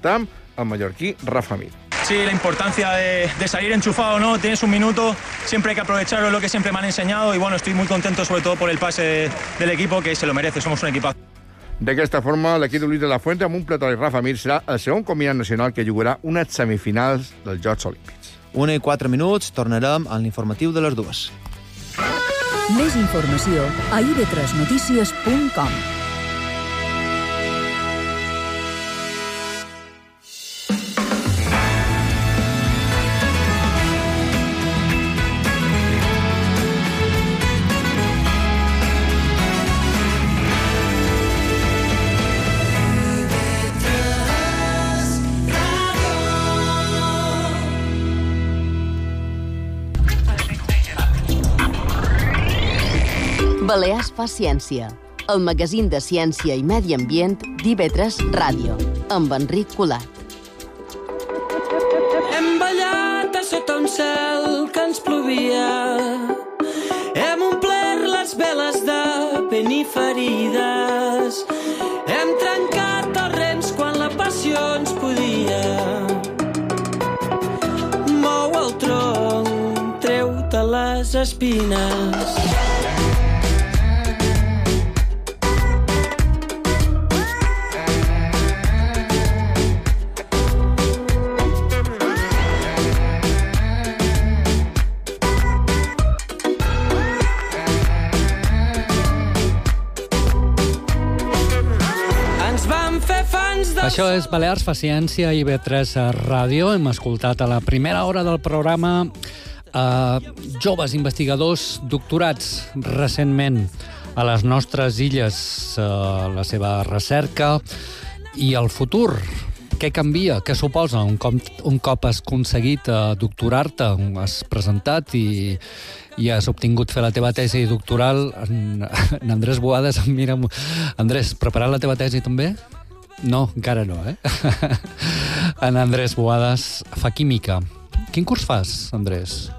Escoltam el mallorquí Rafa Mir. Sí, la importancia de salir enchufado, ¿no? Tienes un minuto, siempre hay que aprovecharlo, es lo que siempre me han enseñado y bueno, estoy muy contento sobre todo por el pase del equipo, que se lo merece, somos un equipazo. D'aquesta forma, l'equip de Luis de la Fuente amb un plató i Rafa Mir serà el segon combinat nacional que jugarà unes semifinals dels Jocs Olímpics. 1:04, tornarem a l'informatiu de les 2. Més informació a ib3notícies.com. Balears fa ciència, el magazín de ciència i medi ambient d'IV3 Ràdio, amb Enric Colat. Hem ballat a sota un cel que ens plovia. Hem omplert les veles de pena i ferides. Hem trencat els rens quan la passió ens podia. Mou el tronc, treu-te les espines. Això és Balears fa ciència i IB3 Ràdio. Hem escoltat a la primera hora del programa joves investigadors doctorats recentment a les nostres illes, la seva recerca i el futur. Què canvia? Què suposa? Un cop has aconseguit doctorar-te, has presentat i has obtingut fer la teva tesi doctoral, en Andrés Boades em mira... Andrés, preparat la teva tesi també? No, encara no, En Andrés Boades fa química. Quin curs fas, Andrés?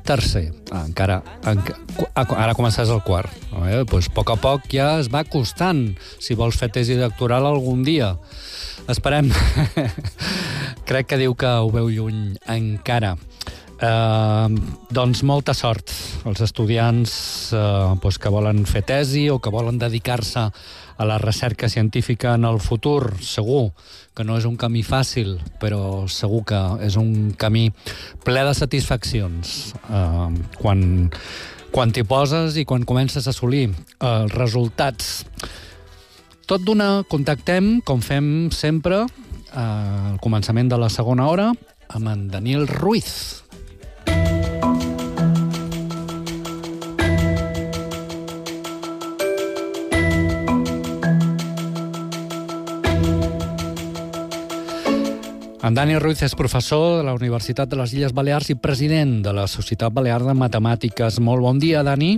Tercer. Encara... Ara començaràs el quart. Doncs a poc ja es va costant, si vols fer tesi doctoral algun dia. Esperem. Crec que diu que ho veu lluny encara. Doncs molta sort als estudiants que volen fer tesi o que volen dedicar-se a la recerca científica en el futur. Segur que no és un camí fàcil, però segur que és un camí ple de satisfaccions quan t'hi poses i quan comences a assolir els resultats. Tot d'una contactem, com fem sempre, al començament de la segona hora, amb en Daniel Ruiz. En Dani Ruiz és professor de la Universitat de les Illes Balears i president de la Societat Balear de Matemàtiques. Molt bon dia, Dani.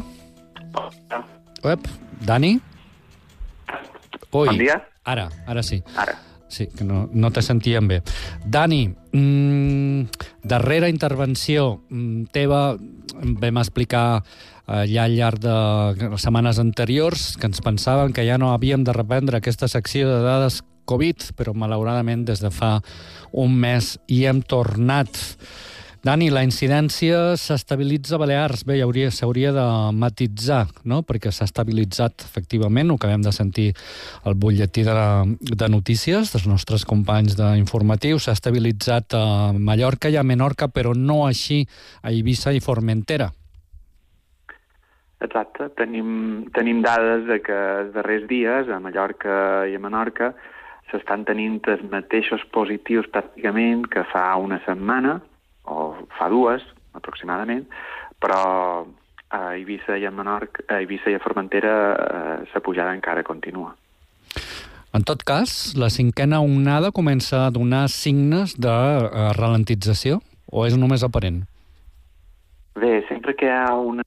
Dani? Ui, bon dia. Ara sí. Ara. Sí, que no te sentíem bé. Dani, darrera intervenció teva, vam explicar ja al llarg de les setmanes anteriors que ens pensaven que ja no havíem de reprendre aquesta secció de dades Covid, però malauradament des de fa un mes hi hem tornat. Dani, la incidència s'estabilitza a Balears. Bé, s'hauria de matitzar, no? Perquè s'ha estabilitzat, efectivament, ho acabem de sentir al butlletí de notícies dels nostres companys d'informatius. S'ha estabilitzat a Mallorca i a Menorca, però no així a Eivissa i Formentera. Exacte. Tenim dades de que els darrers dies a Mallorca i a Menorca s'estan tenint els mateixos positius pràcticament que fa una setmana, o fa dues, aproximadament, però a Eivissa i a Menorca, a Eivissa i a Formentera la pujada encara continua. En tot cas, la cinquena onada comença a donar signes de ralentització, o és només aparent? Bé, sempre que hi ha un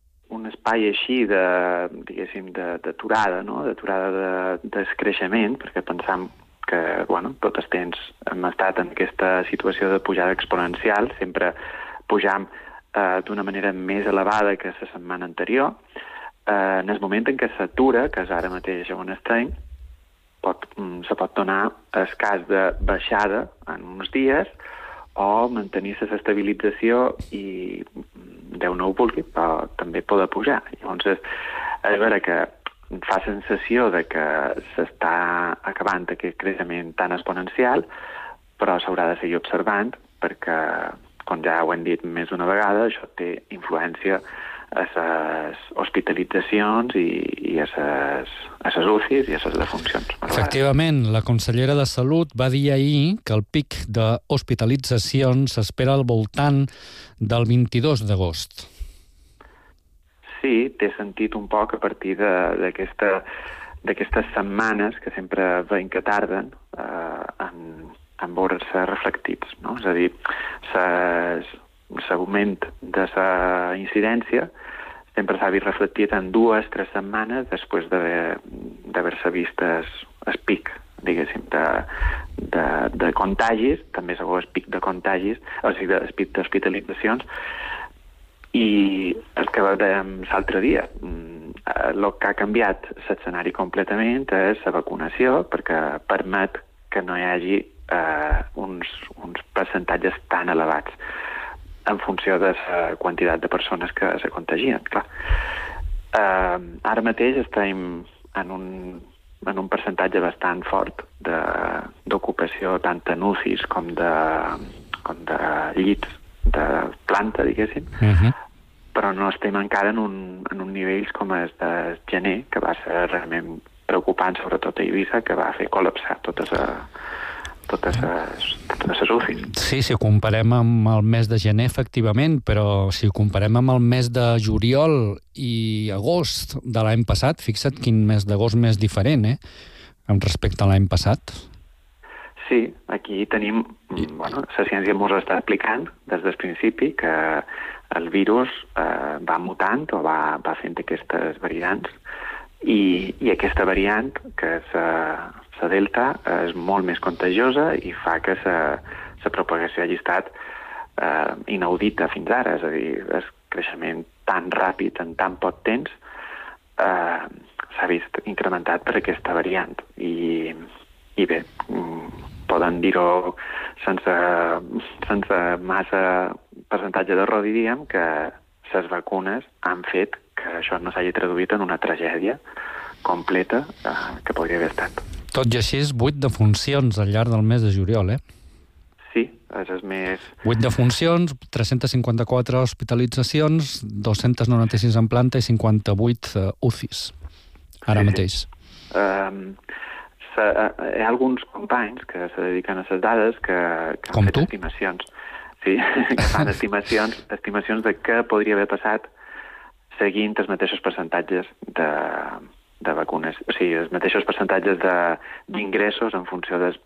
espai així diguéssim, d'aturada, no? D'aturada d'escreixement, perquè pensam que, tot el temps hem estat en aquesta situació de pujada exponencial, sempre pujam d'una manera més elevada que la setmana anterior. En el moment en què s'atura, que és ara mateix on estem, se pot donar el cas de baixada en uns dies o mantenir-se l'estabilització i, Déu no ho vulgui, però també poder pujar. Llavors, és vera que fa sensació de que s'està acabant aquest creixement tan exponencial, però s'haurà de seguir observant perquè, com ja ho hem dit més d'una vegada, això té influència a les hospitalitzacions i a les UCIs i a les defuncions. Efectivament, la consellera de Salut va dir ahir que el pic d'hospitalitzacions s'espera al voltant del 22 d'agost. Sí, té sentit un poc a partir d'aquestes setmanes que sempre veiem que tarden en veure-se reflectits, no? És a dir, l'augment de la incidència sempre s'ha vist reflectit en 2 o 3 setmanes després d'haver-se vist el pic, diguéssim, de contagis, també s'ha vist el pic de contagis, o sigui, el pic d'hospitalitzacions, i el que veiem l'altre dia, el que ha canviat l'escenari completament és la vacunació, perquè permet que no hi hagi uns percentatges tan elevats en funció de la quantitat de persones que se contagien, clar. Ara mateix estem en un percentatge bastant fort d'ocupació tant en UCIs com de llits de planta, diguéssim, però no estem encara en un nivell com el de gener, que va ser realment preocupant, sobretot a Eivissa, que va fer col·lapsar totes les UCIs. Sí, si ho comparem amb el mes de gener, efectivament, però si ho comparem amb el mes de juliol i agost de l'any passat, fixa't quin mes d'agost més diferent, amb respecte a l'any passat. Sí, aquí tenim... Bueno, la ciència ens està explicant des del principi que el virus va mutant o va fent aquestes variants i aquesta variant, que és la delta, és molt més contagiosa i fa que la propagació hagi estat inaudita fins ara, és a dir, el creixement tan ràpid en tan poc temps s'ha vist incrementat per aquesta variant i bé, poden dir-ho sense massa percentatge d'error, diríem, que les vacunes han fet que això no s'hagi traduït en una tragèdia completa que podria haver estat. Tot i així, 8 defuncions al llarg del mes de juliol, Sí, és el més... 8 defuncions, 354 hospitalitzacions, 296 en planta i 58 UCIs, ara mateix. Hi ha alguns companys que se dediquen a les dades que han fet estimacions. Sí, que fan estimacions de què podria haver passat seguint els mateixos percentatges de vacunes, o sigui, els mateixos percentatges d'ingressos en funció dels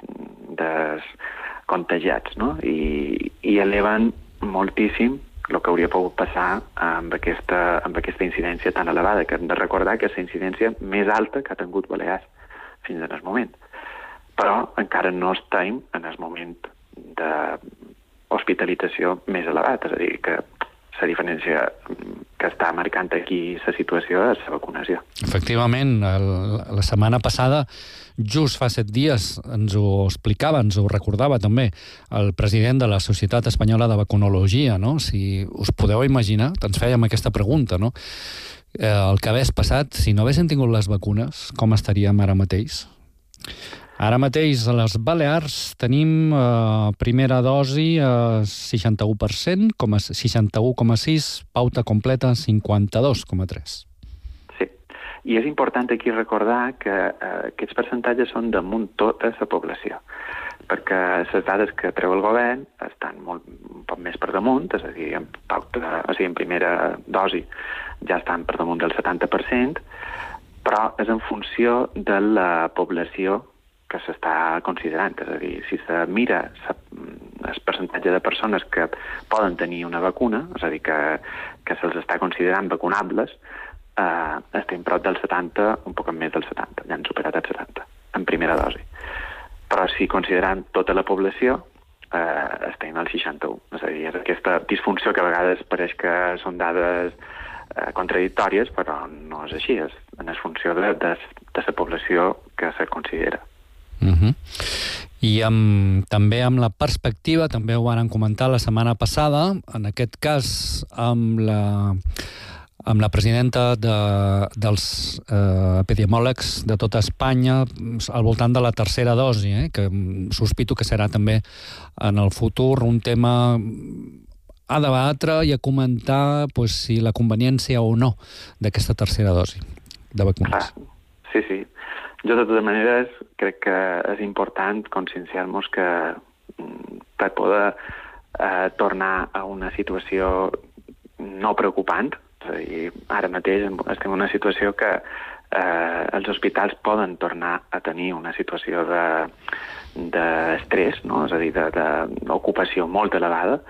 contagiats, no? I eleven moltíssim el que hauria pogut passar amb aquesta incidència tan elevada, que hem de recordar que és la incidència més alta que ha tingut Balears fins en el moment. Però encara no estem en el moment d'hospitalització més elevat, és a dir, que la diferència que està marcant aquí la situació és la vacunació. Efectivament, la setmana passada, just fa 7 dies, ens ho explicava, ens ho recordava també el president de la Societat Espanyola de Vacunologia, no? Si us podeu imaginar, ens fèiem aquesta pregunta, no? El que hagués passat, si no haguessin tingut les vacunes, com estaríem ara mateix? Ara mateix a les Balears tenim primera dosi 61%, 61,6%, pauta completa 52,3%. Sí, i és important aquí recordar que aquests percentatges són damunt tota la població, perquè les dades que treu el govern estan un poc més per damunt, és a dir, en primera dosi ja estan per damunt del 70%, però és en funció de la població que s'està considerant. És a dir, si se mira el percentatge de persones que poden tenir una vacuna, és a dir, que se'ls està considerant vacunables, estem prop del 70, un poc més del 70, ja han superat el 70, en primera dosi. Però si considerant tota la població, estem al 61. És a dir, és aquesta disfunció que a vegades pareix que són dades contradictòries, però no és així, és en funció de la població que se considera. I també amb la perspectiva, també ho van comentar la setmana passada, en aquest cas amb la presidenta dels epidemiòlegs de tota Espanya al voltant de la tercera dosi, que sospito que serà també en el futur un tema a debatre i a comentar si la conveniència o no d'aquesta tercera dosi de vacunes. Sí. Jo, de totes maneres, crec que és important conscienciar-nos que per poder tornar a una situació no preocupant, és a dir, ara mateix estem en una situació que els hospitals poden tornar a tenir una situació d'estrès, no? És a dir, d'ocupació molt elevada,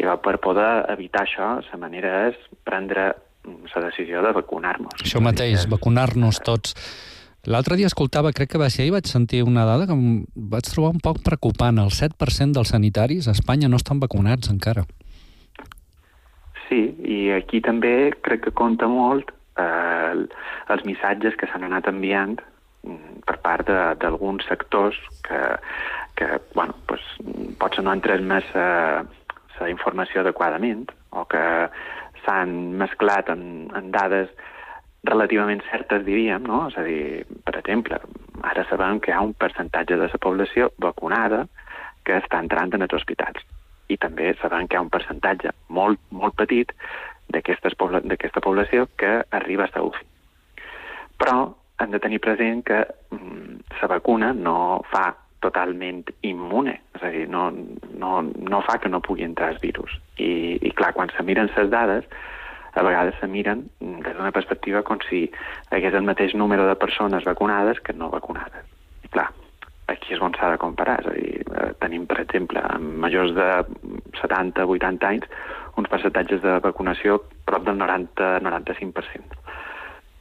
i per poder evitar això, la manera és prendre la decisió de vacunar-nos. Això mateix, vacunar-nos tots. L'altre dia escoltava, crec que va ser ahir, vaig sentir una dada que em vaig trobar un poc preocupant. El 7% dels sanitaris a Espanya no estan vacunats encara. Sí, i aquí també crec que compta molt els missatges que s'han anat enviant per part d'alguns sectors que potser no han transmès la informació adequadament o que s'han mesclat en dades relativament certes, diríem, no? És a dir, per exemple, ara sabem que hi ha un percentatge de la població vacunada que està entrant en els hospitals. I també sabem que hi ha un percentatge molt, molt petit d'aquesta població que arriba a la UCI. Però hem de tenir present que la vacuna no fa totalment immune, és a dir, no fa que no pugui entrar el virus. I clar, quan se miren les dades, a vegades se miren des d'una perspectiva com si hi hagués el mateix número de persones vacunades que no vacunades. I clar, aquí és on s'ha de comparar, és a dir, tenim, per exemple, amb majors de 70-80 anys, uns percentatges de vacunació prop del 90-95%.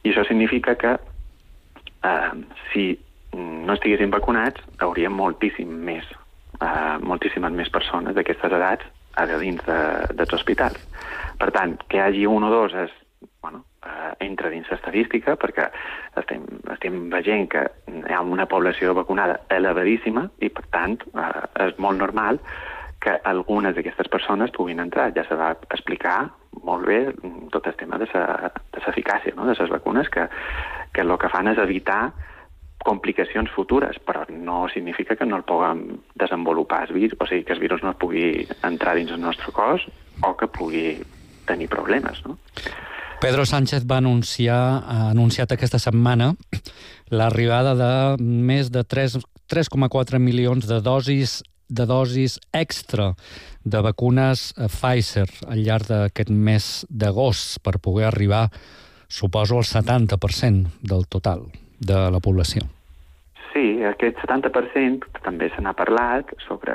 I això significa que si no estiguessin vacunats, hauríem moltíssimes més persones d'aquestes edats a dins dels hospitals. Per tant, que hi hagi un o dos entra dins l'estadística, perquè estem veient que hi ha una població vacunada elevadíssima i, per tant, és molt normal que algunes d'aquestes persones puguin entrar. Ja se va explicar molt bé tot el tema de l'eficàcia de les vacunes, que el que fan és evitar complicacions futures, però no significa que no el puguem desenvolupar el virus, o sigui, que el virus no pugui entrar dins el nostre cos o que pugui tenir problemes, no? Pedro Sánchez ha anunciat aquesta setmana l'arribada de més de 3,4 milions de dosis extra de vacunes Pfizer al llarg d'aquest mes d'agost per poder arribar, suposo, al 70% del total de la població. Sí, aquest 70% també se n'ha parlat sobre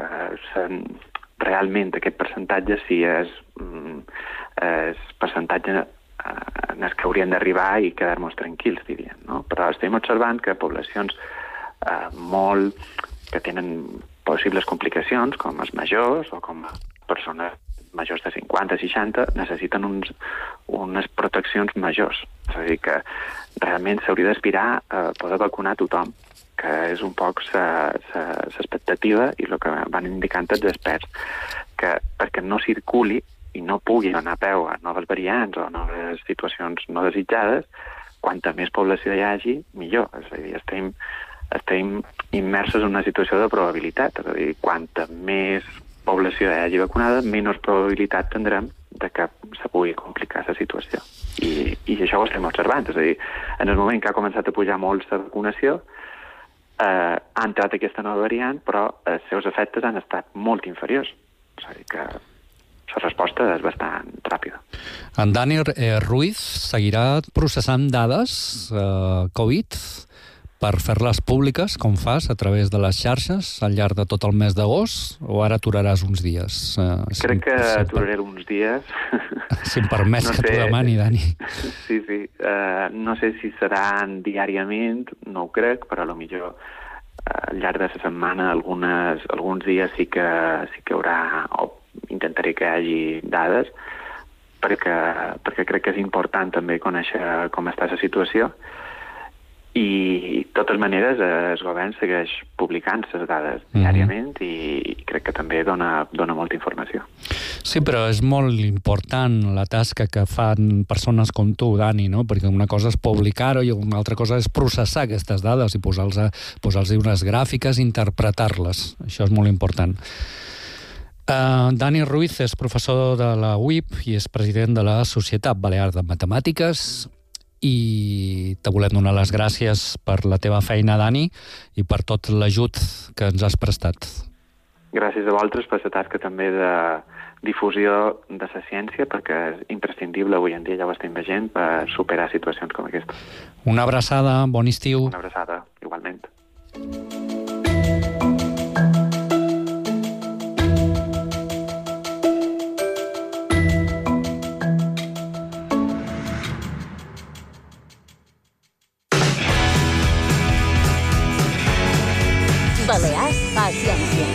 realment aquest percentatge, si és percentatge en el que haurien d'arribar i quedar-nos tranquils, diríem, no? Però estem observant que poblacions que tenen possibles complicacions, com els majors o com persones majors de 50-60, necessiten unes proteccions majors. És a dir, que realment s'hauria d'aspirar a poder vacunar tothom, que és un poc l'expectativa i el que van indicant els experts, que perquè no circuli i no pugui donar peu a noves variants o noves situacions no desitjades, quanta més població hi hagi, millor. És a dir, estem immersos en una situació de probabilitat, és a dir, quanta més població hi hagi vacunada, menys probabilitat tindrem de que se pugui complicar la situació. I això ho estem observant, és a dir, en el moment que ha començat a pujar molt la vacunació, ha entrat aquesta nova variant, però els seus efectes han estat molt inferiors. És a dir, que la resposta és bastant ràpida. En Dani Ruiz seguirà processant dades Covid per fer-les públiques, com fas, a través de les xarxes al llarg de tot el mes d'agost, o ara aturaràs uns dies? Crec que aturaré uns dies. Si em permets que t'ho demani, Dani. Sí. No sé si seran diàriament, no ho crec, però potser al llarg de la setmana alguns dies sí que haurà, o intentaré que hi hagi dades, perquè crec que és important també conèixer com està la situació. I, de totes maneres, el govern segueix publicant les dades diàriament i crec que també dona molta informació. Sí, però és molt important la tasca que fan persones com tu, Dani, no? Perquè una cosa és publicar-ho i una altra cosa és processar aquestes dades i posar-los unes gràfiques i interpretar-les. Això és molt important. Dani Ruiz és professor de la UIP i és president de la Societat Balear de Matemàtiques. I te volem donar les gràcies per la teva feina, Dani, i per tot l'ajut que ens has prestat. Gràcies a vosaltres per la tasca també de difusió de la ciència, perquè és imprescindible avui en dia, ja ho estem veient, per superar situacions com aquesta. Una abraçada, bon estiu. Una abraçada, igualment. Balears fa ciència.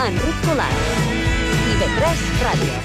Enric Colat. TV3 Ràdio.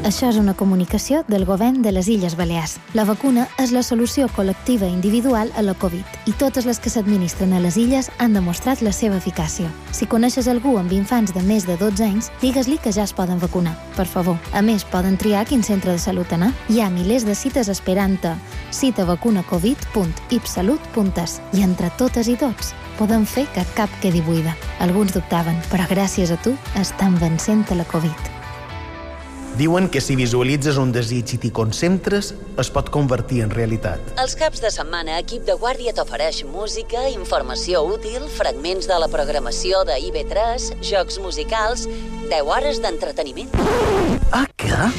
Això és una comunicació del govern de les Illes Balears. La vacuna és la solució col·lectiva i individual a la Covid i totes les que s'administren a les illes han demostrat la seva eficàcia. Si coneixes algú amb infants de més de 12 anys, digues-li que ja es poden vacunar. Per favor. A més, poden triar quin centre de salut anar. Hi ha milers de cites esperant a citavacunacovid.ipsalut.es i entre totes i tots podem fer que cap quedi buida. Alguns dubtaven, però gràcies a tu estan vencent a la Covid. Diuen que si visualitzes un desig i t'hi concentres, es pot convertir en realitat. Els caps de setmana, Equip de Guàrdia t'ofereix música, informació útil, fragments de la programació de IB3, jocs musicals, 10 hores d'entreteniment. Ah, què?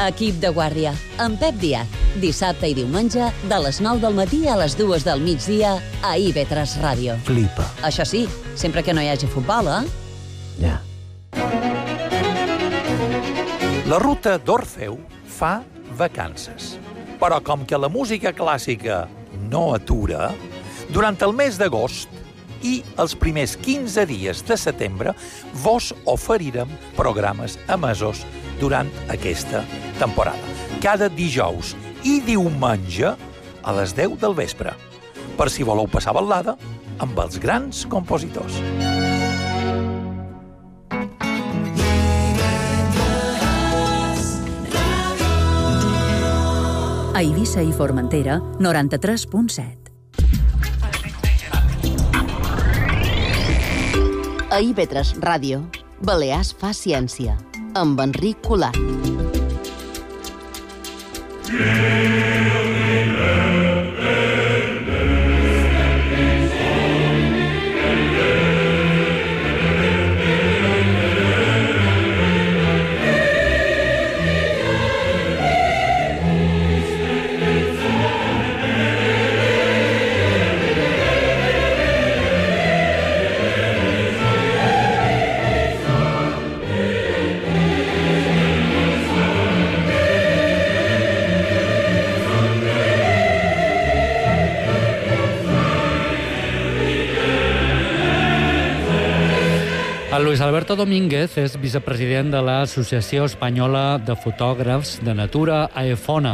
Equip de Guàrdia, amb Pep Díaz. Dissabte i diumenge, de les 9 del matí a les 2 del migdia, a IB3 Ràdio. Flipa. Això sí, sempre que no hi hagi futbol, Ja. La ruta d'Orfeu fa vacances. Però com que la música clàssica no atura, durant el mes d'agost i els primers 15 dies de setembre vos oferirem programes emesos durant aquesta temporada. Cada dijous i diumenge a les 10 del vespre, per si voleu passar ballada amb els grans compositors. A Eivissa i Formentera, 93.7. A IB3 Ràdio, Balears fa ciència, amb Enric Colat. El Luis Alberto Domínguez és vicepresident de l'Associació Espanyola de Fotògrafs de Natura, AEFONA,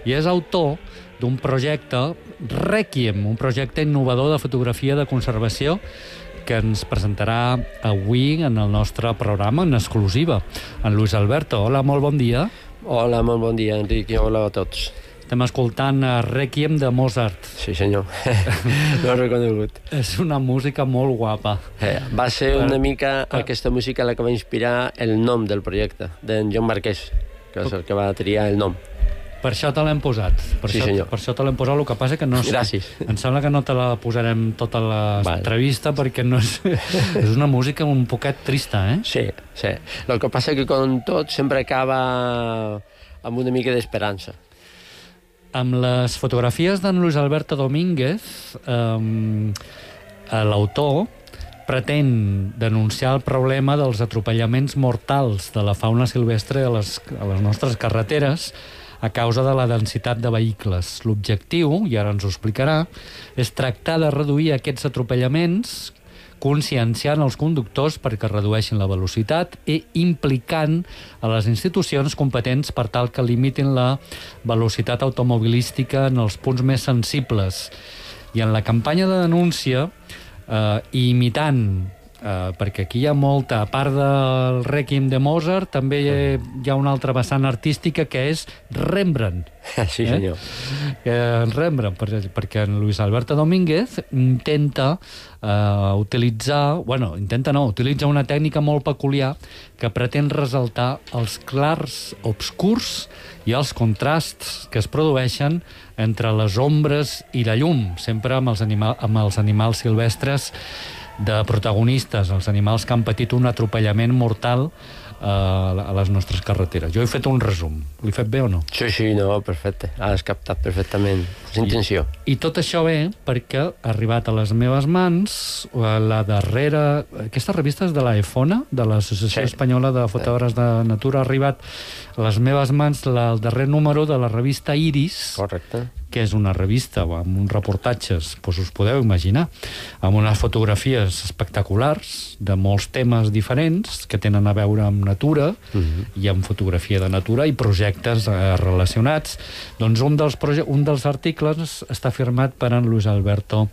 i és autor d'un projecte Requiem, un projecte innovador de fotografia de conservació que ens presentarà avui en el nostre programa en exclusiva. En Luis Alberto, hola, molt bon dia. Hola, molt bon dia, Enric, i hola a tots. Estem escoltant Requiem de Mozart. Sí, senyor. L'ho he reconegut. És una música molt guapa. Va ser una mica aquesta música la que va inspirar el nom del projecte, d'en Joan Marquès, que és el que va triar el nom. Per això te l'hem posat. Sí, senyor. Per això te l'hem posat, el que passa que no... Gràcies. Em sembla que no te la posarem tota l'entrevista perquè no és... és una música un poquet trista, eh? Sí, sí. El que passa que com tot sempre acaba amb una mica d'esperança. Amb les fotografies d'en Luis Alberto Domínguez, l'autor pretén denunciar el problema dels atropellaments mortals de la fauna silvestre a les nostres carreteres a causa de la densitat de vehicles. L'objectiu, i ara ens ho explicarà, és tractar de reduir aquests atropellaments conscienciant els conductors perquè redueixin la velocitat i implicant a les institucions competents per tal que limitin la velocitat automobilística en els punts més sensibles. I en la campanya de denúncia, imitant, perquè aquí hi ha molta, a part del Rèquiem de Mozart, també hi ha una altra vessant artística que és Rembrandt. Sí, senyor. Rembrandt, perquè en Luis Alberto Domínguez intenta utilitza una tècnica molt peculiar que pretén ressaltar els clars obscurs i els contrasts que es produeixen entre les ombres i la llum, sempre amb els animals silvestres de protagonistes, els animals que han patit un atropellament mortal a les nostres carreteres. Jo he fet un resum. L'he fet bé o no? Sí, no, perfecte. Has captat perfectament. És intenció. I tot això ve perquè ha arribat a les meves mans la darrera... Aquesta revista és de la EFONA, de l'Associació Espanyola de Fotògrafs de Natura. Ha arribat a les meves mans el darrer número de la revista Iris. Correcte. Que és una revista amb uns reportatges, doncs us podeu imaginar, amb unes fotografies espectaculars de molts temes diferents que tenen a veure amb natura i amb fotografia de natura i projectes relacionats. Doncs un dels articles està firmat per en Luis Alberto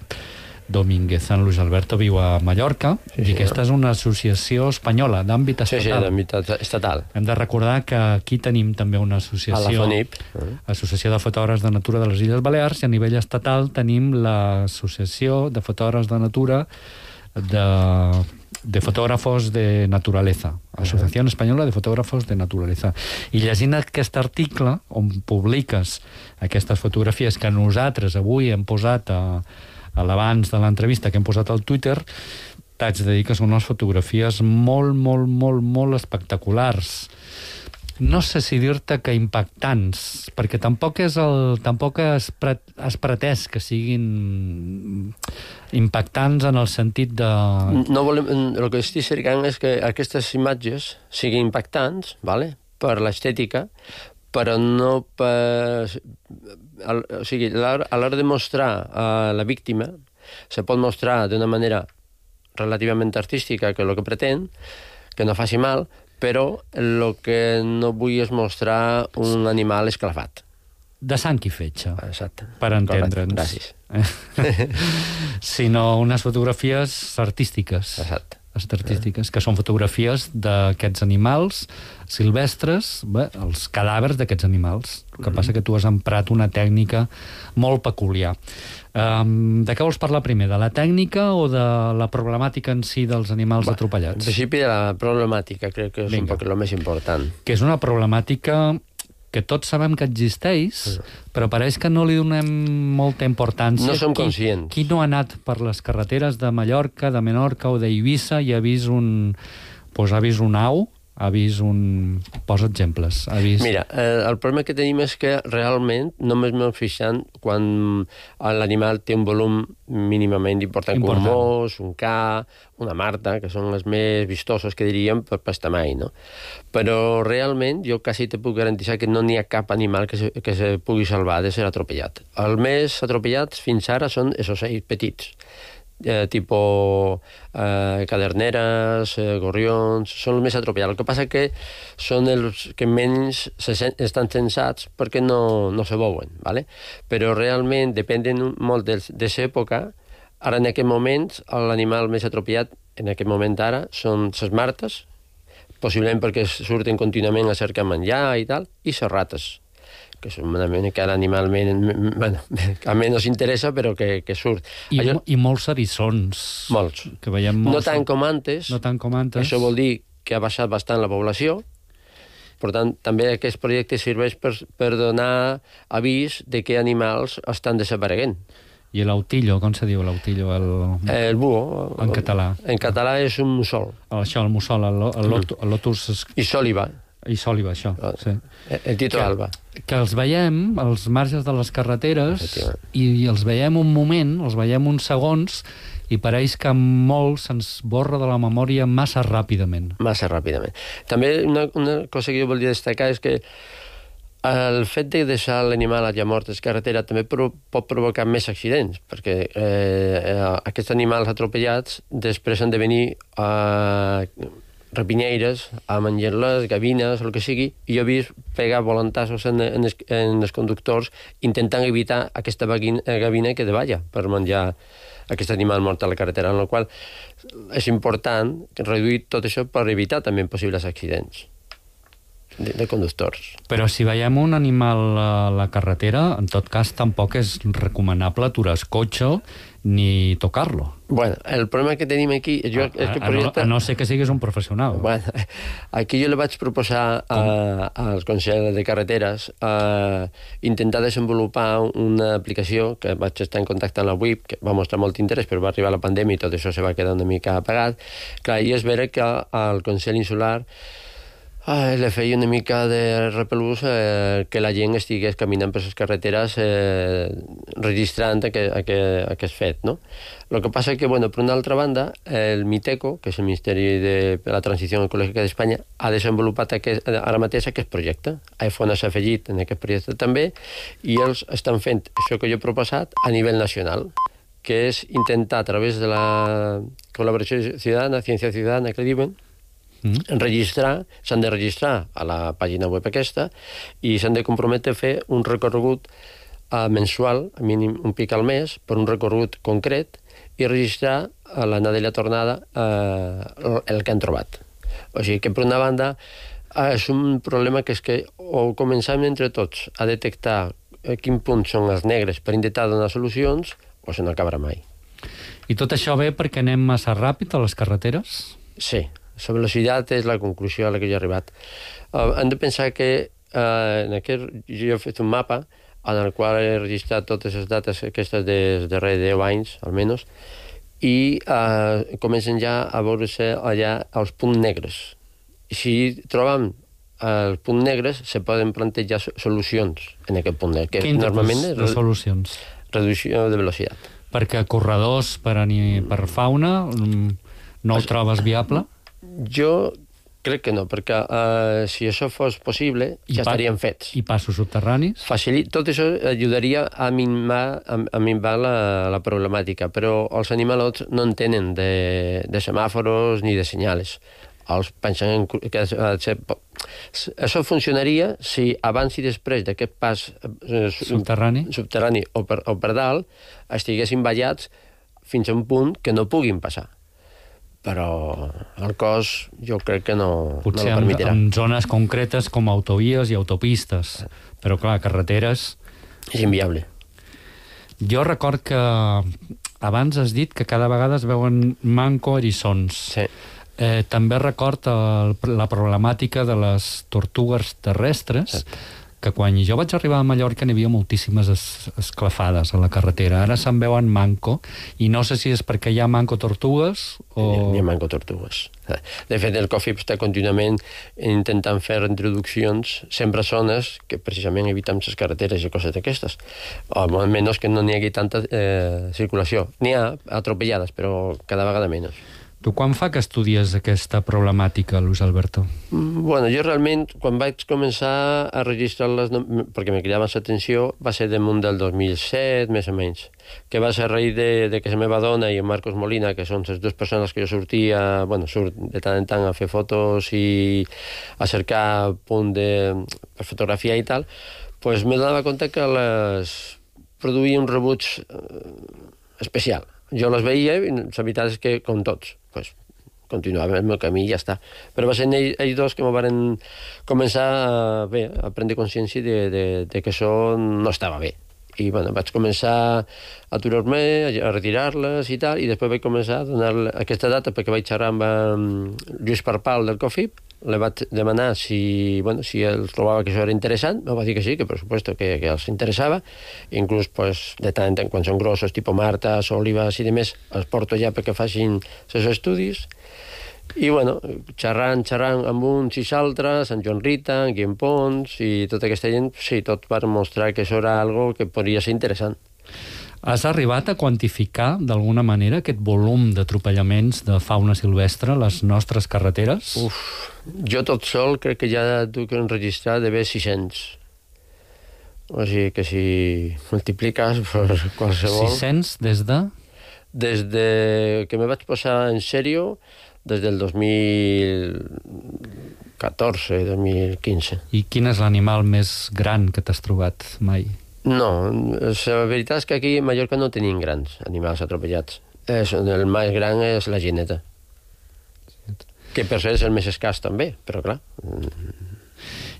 Domínguez. En Luis Alberto viu a Mallorca i aquesta és una associació espanyola d'àmbit estatal. Sí, d'àmbit estatal. Hem de recordar que aquí tenim també una associació, a la FONIP, Associació de Fotògrafs de Natura de les Illes Balears, i a nivell estatal tenim l'Associació de Fotògrafs de Natura de Fotògrafos de Naturaleza, Associació Espanyola de Fotògrafos de Naturaleza. I llegint aquest article on publiques aquestes fotografies que nosaltres avui hem posat a l'abans de l'entrevista que hem posat al Twitter, t'haig de dir que són unes fotografies molt espectaculars. No sé si dir-te que impactants, perquè tampoc has pretès que siguin impactants en el sentit de... No volem, el que estic cercant és que aquestes imatges siguin impactants, vale? Per l'estètica, però no per... O sigui, a l'hora de mostrar a la víctima, se pot mostrar d'una manera relativament artística, que és el que pretén, que no faci mal, però el que no vull és mostrar un animal esclafat. De sang i fetge. Exacte. Per entendre'ns. Gràcies. Sinó unes fotografies artístiques. Exacte. Artístiques, que són fotografies d'aquests animals silvestres, els cadàvers d'aquests animals. El que passa que tu has emprat una tècnica molt peculiar. De què vols parlar primer? De la tècnica o de la problemàtica en si dels animals atropellats? En principi de la problemàtica, crec que és un poc el més important. Que és una problemàtica que tots sabem que existeix, però pareix que no li donem molta importància. No som conscients. Qui no ha anat per les carreteres de Mallorca, de Menorca o d'Eivissa i ha vist un au, ha vist un... Posa exemples. Mira, el problema que tenim és que realment només m'hem fixat quan l'animal té un volum mínimament important. Com un mos, un ca, una marta, que són les més vistosos, que diríem, per estamai, no? Però realment jo quasi te puc garantir que no n'hi ha cap animal que se pugui salvar de ser atropellat. Els més atropellats fins ara són els ocells petits, tipus caderneres, gorrions, són els més atropellats. El que passa que són els que menys estan censats perquè no se veuen, ¿vale? Però realment depenen molt de l'època. Ara, en aquest moment, l'animal més atropellat, en aquest moment ara, són les martes, possiblement perquè surten contínuament a cercar menjar i tal, i les rates, que és una mica l'animal que a menys interessa, però que surt. I molts eriçons. Molts. Que veiem molts. No tant com antes. Això vol dir que ha baixat bastant la població. Per tant, també aquest projecte serveix per donar avís de què animals estan desapareguent. I l'autillo, com se diu l'autillo? El búho. En català. En català és un mussol. Això, el mussol, el lotus... I sòliba. I sòliba, això, sí. El títol alba. Que els veiem als marges de les carreteres i els veiem un moment, els veiem uns segons i pareix que molt se'ns borra de la memòria massa ràpidament. Massa ràpidament. També una cosa que jo volia destacar és que El fet de deixar l'animal allà mort a la carretera també pot provocar més accidents, perquè aquests animals atropellats després han de venir rapinyeires a menjar-les, gavines, el que sigui, i jo he vist pegar volantassos en els conductors intentant evitar aquesta gavina que davalla per menjar aquest animal mort a la carretera, en la qual és important reduir tot això per evitar també possibles accidents de conductors. Però si veiem un animal a la carretera, en tot cas tampoc és recomanable aturar el cotxe ni tocar-lo. Bueno, el problema que tenim aquí... A no ser que siguis un professional. Bueno, aquí jo le vaig proposar al Consell de Carreteres intentar desenvolupar una aplicació que vaig estar en contacte amb la WIP, que va mostrar molt interès, però va arribar la pandèmia i tot això se va quedar una mica apagat. Clar, i és vera que al Consell Insular le feia una mica de repelús que la gent estigués caminant per les carreteres registrant aquest fet, no? El que passa que, bueno, per una altra banda, el MITECO, que és el Ministeri de la Transició Ecològica d'Espanya, ha desenvolupat ara mateix aquest projecte. iPhone s'ha afegit en aquest projecte també, i ells estan fent això que jo he proposat a nivell nacional, que és intentar, a través de la col·laboració ciutadana, ciència ciutadana, que diuen, s'han de registrar a la pàgina web aquesta i s'han de comprometre a fer un recorregut mensual, a mínim un pic al mes, per un recorregut concret i registrar a l'anada i la tornada el que han trobat. O sigui que, per una banda, és un problema que és que o començam entre tots a detectar a quin punt són els negres per intentar donar solucions o se n'acabarà mai. I tot això ve perquè anem massa ràpid a les carreteres? Sí. La velocitat és la conclusió a la que jo he arribat. Hem de pensar que jo he fet un mapa en el qual he registrat totes les dates aquestes dels darrers 10 anys, almenys, i comencen ja a veure-se allà els punts negres. I si trobem els punts negres, se poden plantejar solucions en aquest punt negre. Quin tipus de solucions? Reducció de velocitat. Perquè corredors per fauna no ho trobes viable? Jo crec que no, perquè si això fos possible ja estarien fets. I passos subterranis? Tot això ajudaria a minvar la problemàtica, però els animalots no en tenen de semàforos ni de senyals. Els pensen que això funcionaria si abans i després d'aquest pas subterrani o per dalt estiguessin ballats fins a un punt que no puguin passar. Però el cos jo crec que no ho permetirà. Potser en zones concretes com autovies i autopistes, però clar, carreteres... És inviable. Jo record que abans has dit que cada vegada es veuen manco eriçons. Sí. També record la problemàtica de les tortugues terrestres, que quan jo vaig arribar a Mallorca n'hi havia moltíssimes esclafades a la carretera. Ara se'n veuen manco, i no sé si és perquè hi ha manco tortugues o... Hi ha manco tortugues. De fet, el COFIP està contínuament intentant fer introduccions sempre a zones que precisament evitem les carreteres i coses d'aquestes. O almenys que no n'hi hagi tanta circulació. N'hi ha atropellades, però cada vegada menys. Tu quan fa que estudies aquesta problemàtica, Luis Alberto? Bueno, jo realment, quan vaig començar a registrar-les, perquè me cridaven l'atenció, va ser damunt del 2007, més o menys, que va ser a raïs de que la meva dona i en Marcos Molina, que són les dues persones que jo sortia, bueno, surt de tant en tant a fer fotos i a cercar punt per fotografia i tal, doncs me donava compte que les produïa un rebuig especial. Jo les veia i la veritat és que, com tots, continuava el meu camí i ja està. Però va ser ells dos que m'ho van començar a prendre consciència de que això no estava bé. I bueno, vaig començar a aturar-me, a retirar-les i tal, i després vaig començar a donar aquesta data perquè vaig xerrar amb Lluís Parpal del COFIP, li vaig demanar si els trobava que això era interessant, em va dir que sí, que per supuesto que els interessava, inclús de tant en tant, quan són grossos, tipus martes, olives i demés, els porto ja perquè facin els estudis, i bueno, xerrant amb uns i altres, en Joan Rita, en Guillem Pons i tota aquesta gent, sí, tot per mostrar que això era algo que podria ser interessant. Has arribat a quantificar, d'alguna manera, aquest volum d'atropellaments de fauna silvestre a les nostres carreteres? Jo tot sol crec que ja duc enregistrat d'haver 600. O sigui que si multipliques per qualsevol... 600 des de? Des de que me vaig posar en sèrio, des del 2014, 2015. I quin és l'animal més gran que t'has trobat mai? No, la veritat és que aquí a Mallorca no tenim grans animals atropellats. El més gran és la gineta. Que per ser és el més escàs també, però clar...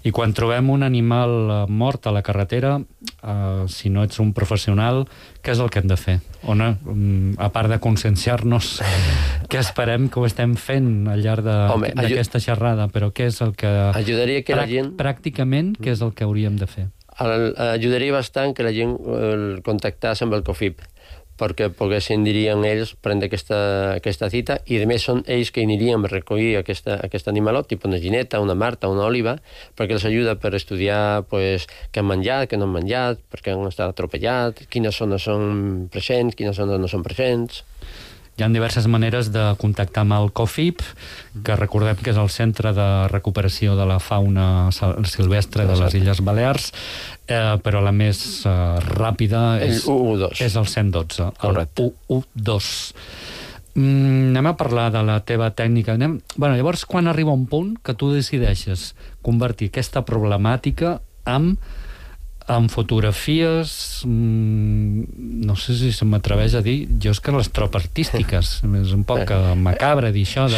I quan trobem un animal mort a la carretera, si no ets un professional, què és el que hem de fer? A part de conscienciar-nos, què esperem que ho estem fent al llarg d'aquesta xerrada, però què és el que... Ajudaria que la gent... Pràcticament, què és el que hauríem de fer? Ajudaria bastant que la gent contactàs amb el COFIP, perquè poguessin, dirien ells, prendre aquesta cita, i a més són ells que anirien a recollir aquest animalot, tipus una gineta, una marta, una òliba, perquè els ajuda per estudiar què han menjat, què no han menjat, per què han estat atropellats, quines zones són presents, quines zones no són presents... Hi ha diverses maneres de contactar amb el COFIP, que recordem que és el Centre de Recuperació de la Fauna Silvestre de les Illes Balears, però la més ràpida és el 112, el 112. Anem a parlar de la teva tècnica. Llavors, quan arriba un punt que tu decideixes convertir aquesta problemàtica amb fotografies, no sé si se m'atreveix a dir, jo és que les trobo artístiques, és un poc macabre dir això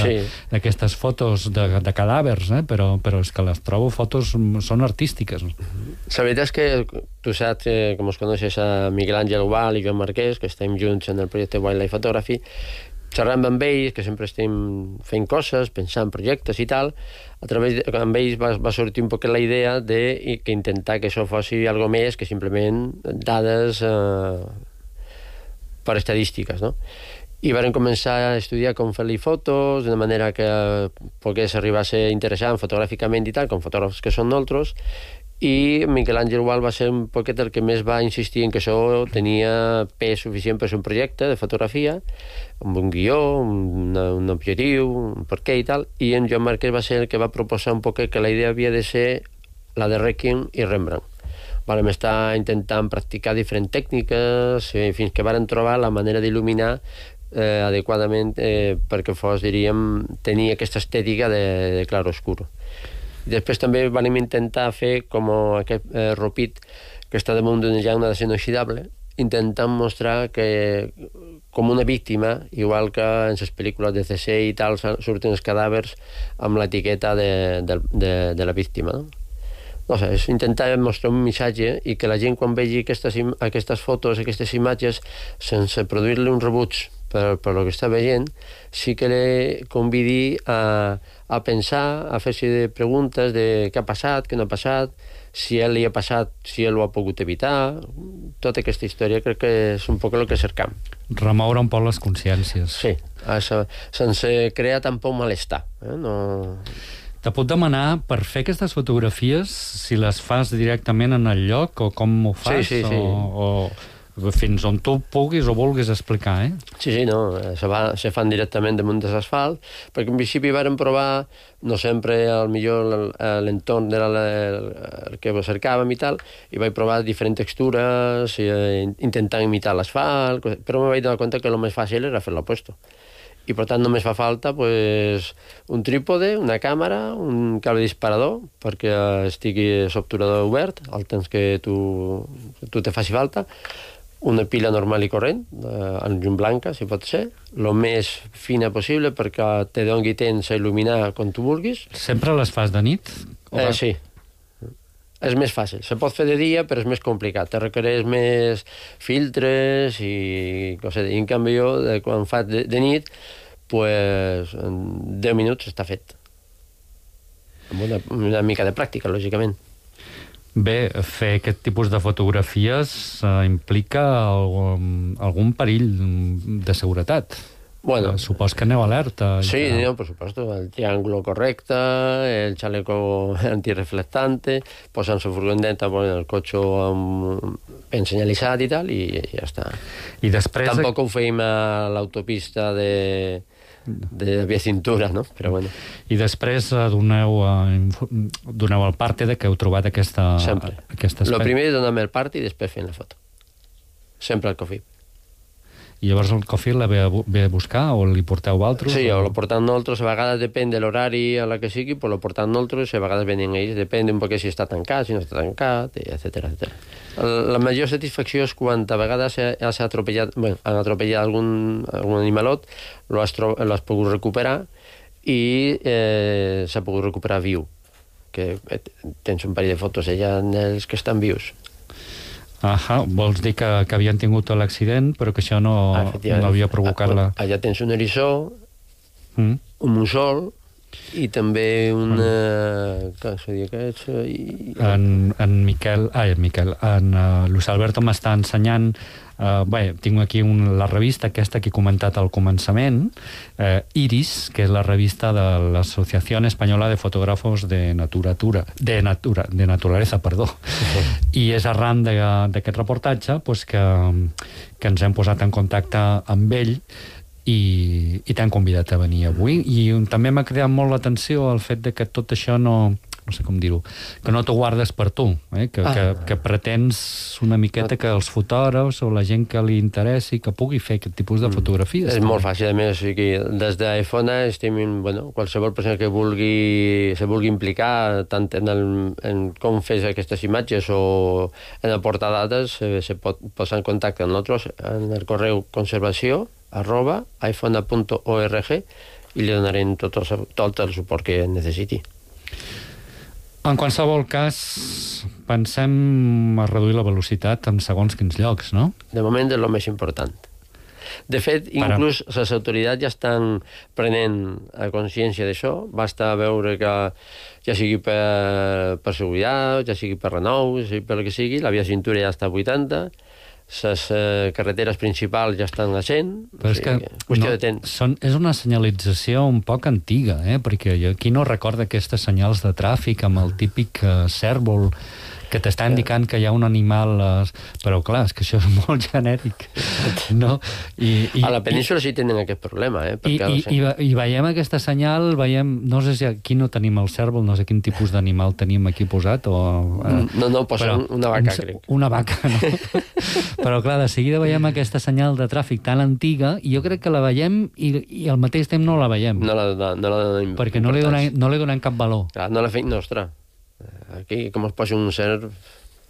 d'aquestes fotos de cadàvers, però és que les trobo fotos, són artístiques. La veritat és que tu saps, com us coneixes a Miguel Àngel Ubal i Joan Marquès, que estem junts en el projecte Wildlife Photography, xerrant amb ells, que sempre estem fent coses, pensant projectes i tal, amb ells va sortir un poc la idea de intentar que això fossi algo més que simplement dades per estadístiques, no? I varen començar a estudiar com fer-li fotos, d'una manera que pogués arribar a ser interessant fotogràficament i tal, com fotògrafs que són nosaltres, i Miquel Àngel Ubal va ser un poquet el que més va insistir en que això tenia pes suficient per ser un projecte de fotografia, amb un guió, un objectiu, un perquè i tal, i en Joan Marquès va ser el que va proposar un poquet que la idea havia de ser la de Requiem i Rembrandt. Vam estar intentant practicar diferents tècniques fins que varen trobar la manera d'il·luminar adequadament perquè fos, diríem, tenir aquesta estètica de clar-oscur. Després també vam intentar fer com aquest ropit que està damunt d'una llauna d'acer inoxidable, intentant mostrar que com una víctima, igual que en les pel·lícules de CC i tal, surten els cadàvers amb l'etiqueta de la víctima. No sé, és intentar mostrar un missatge i que la gent quan vegi aquestes fotos, aquestes imatges, sense produir-li un rebuig per el que està veient, sí que le convidi a pensar, a fer-se preguntes de què ha passat, què no ha passat, si a ell li ha passat, si ell ho ha pogut evitar. Tota aquesta història crec que és un poc el que cercam. Remoure un poc les consciències. Sí, sense crear tampoc malestar. Te puc demanar, per fer aquestes fotografies, si les fas directament en el lloc, o com ho fas? Sí. O fins on tu puguis o vulguis explicar, Sí, no, se fan directament damunt de l'asfalt, perquè en principi varen provar, no sempre al millor l'entorn era el que cercàvem i tal, i vaig provar diferents textures, intentant imitar l'asfalt, però me vaig donar compte que el més fàcil era fer l'opuesto. I per tant només fa falta un trípode, una càmera, un cable disparador perquè estigui l'obturador obert al temps que tu te faci falta, una pila normal i corrent, en llum blanca, si pot ser, el més fina possible perquè te doni temps a il·luminar com tu vulguis. Sempre les fas de nit? Sí. És més fàcil. Se pot fer de dia, però és més complicat. Te requereix més filtres i coses. I en canvi jo, quan faig de nit, en 10 minuts està fet. Amb una mica de pràctica, lògicament. Bé, fer aquest tipus de fotografies implica algun perill de seguretat. Bueno, supos que aneu alerta. Sí, no, por supuesto. El triángulo correcte, el chaleco antirreflectante, posant su furgoneta, el cotxe ben senyalitzat i tal, i ja està. I després... Tampoc ho feim a l'autopista de de via cintura, no? Però bueno. I després doneu el parte de que heu trobat aquest espai. Lo primer és donar-me el part i després fent la foto. Sempre al COFIP. I llavors el COFIP la ve a buscar o li porteu altres? Sí, o lo portem nosaltres, a vegades depèn de l'horari a la que sigui, però lo portem nosaltres, a vegades venen ells, depèn un poc si està tancat, si no està tancat, etc. La major satisfacció és quan a vegades han atropellat algun animalot, l'has pogut recuperar i s'ha pogut recuperar viu, que tens un parell de fotos allà dels que estan vius. Vols dir que havien tingut l'accident, però que això no havia provocat la... Allà tens un eriçó, un mussol i també un... Com se diu que és? En Luis Alberto m'està ensenyant... tinc aquí la revista aquesta que he comentat al començament, Iris, que és la revista de l'Associació Espanyola de Fotògrafos de Naturaleza, i és arran d'aquest reportatge que ens hem posat en contacte amb ell i t'han convidat a venir avui. I també m'ha cridat molt l'atenció el fet de que tot això no sé com dir-ho, que no t'ho guardes per tu, que pretens una miqueta que els fotògrafs o la gent que li interessi que pugui fer aquest tipus de fotografies. És molt fàcil, a més, des d'iPhone estem, qualsevol persona que se vulgui implicar tant en com fes aquestes imatges o en aportar dades, se pot posar en contacte amb nosaltres en el correu conservació@iphone.org i li donarem tot el suport que necessiti. En qualsevol cas, pensem a reduir la velocitat en segons quins llocs, no? De moment és el més important. De fet, inclús les autoritats ja estan prenent consciència d'això. Basta veure que ja sigui per seguretat, ja sigui per renou, ja sigui per el que sigui, la via cintura ja està a 80, les carreteres principals ja estan a 100, qüestió de temps. És una senyalització un poc antiga, perquè aquí no recorda aquestes senyals de tràfic amb el típic cèrvol que t'està indicant que hi ha un animal, però clar, és que això és molt genèric, no? A la península sí tenen aquest problema, I veiem aquesta senyal, no sé si aquí no tenim el cèrvol, no sé quin tipus d'animal tenim aquí posat, o... No, posa una vaca, crec. Una vaca, no? Però clar, de seguida veiem aquesta senyal de tràfic tan antiga, i jo crec que la veiem i al mateix temps no la veiem. No la donem. Perquè no li donem cap valor. Clar, no la fem nostra. Aquí, com es posa un cert,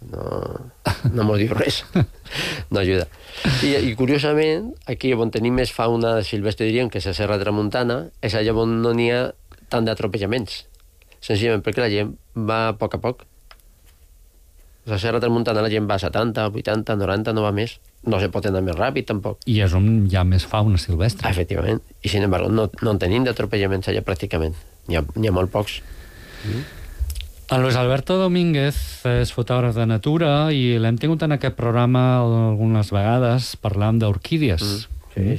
no mos diu res. No ajuda. I curiosament, aquí on tenim més fauna silvestre, diríem, que és la Serra Tramuntana, és allà on no n'hi ha tant d'atropellaments. Senzillament perquè la gent va a poc. La Serra Tramuntana la gent va a 70, 80, 90, no va més. No se pot anar més ràpid, tampoc. I és on hi ha més fauna silvestre. Efectivament. I, sin embargo, no en tenim d'atropellaments allà pràcticament. N'hi ha molt pocs. En Luis Alberto Domínguez és fotògraf de natura i l'hem tingut en aquest programa algunes vegades parlant d'orquídies. Sí.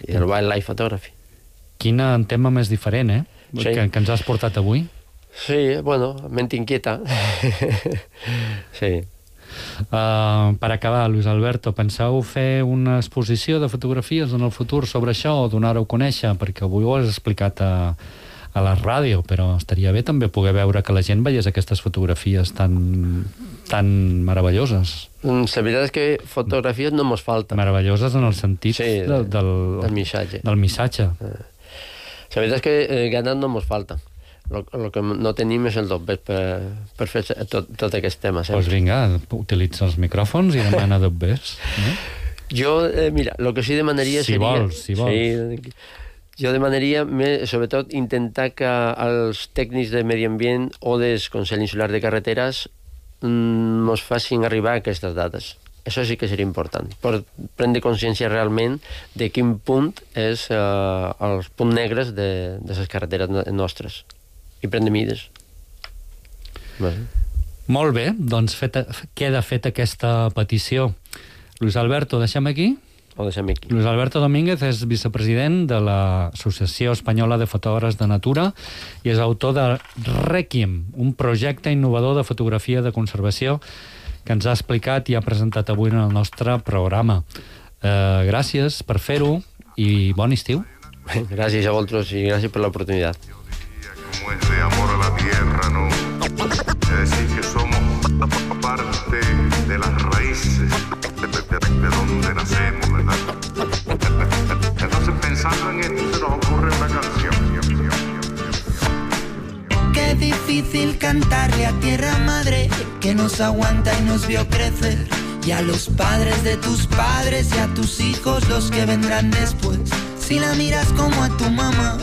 I el wildlife photography. Quin tema més diferent, Sí. Que ens has portat avui. Sí, ment inquieta. Sí. Per acabar, Luis Alberto, penseu fer una exposició de fotografies en el futur sobre això o donar-ho a conèixer? Perquè avui ho has explicat a la ràdio, però estaria bé també poder veure que la gent veiés aquestes fotografies tan meravelloses. La veritat és que fotografies no mos falten. Meravelloses en el sentit del missatge. Del missatge. La veritat és que ganes no mos falten. El que no tenim és el dobbet per fer tot aquest tema. Doncs vinga, utilitza els micròfons i demana dobbets. Jo, mira, el que sí demanaria seria... Si vols. Jo demanaria, sobretot, intentar que els tècnics de medi ambient o del Consell Insular de Carreteres ens facin arribar aquestes dades. Això sí que seria important, per prendre consciència realment de quin punt és els punts negres de les carreteres nostres i prendre mides. Molt bé, doncs queda feta aquesta petició. Luis Alberto, deixem aquí? Ho deixem aquí. Luis Alberto Domínguez és vicepresident de l'Associació Espanyola de Fotògrafs de Natura i és autor de Requiem, un projecte innovador de fotografia de conservació que ens ha explicat i ha presentat avui en el nostre programa. Gràcies per fer-ho i bon estiu. Gràcies a vosaltres i gràcies per l'oportunitat. Como es de amor a la tierra, ¿no? Es decir, que somos parte de las raíces de donde nacemos, ¿verdad? Entonces, pensando en esto, se nos ocurre una canción. Qué difícil cantarle a tierra madre que nos aguanta y nos vio crecer, y a los padres de tus padres y a tus hijos, los que vendrán después. Si la miras como a tu mamá,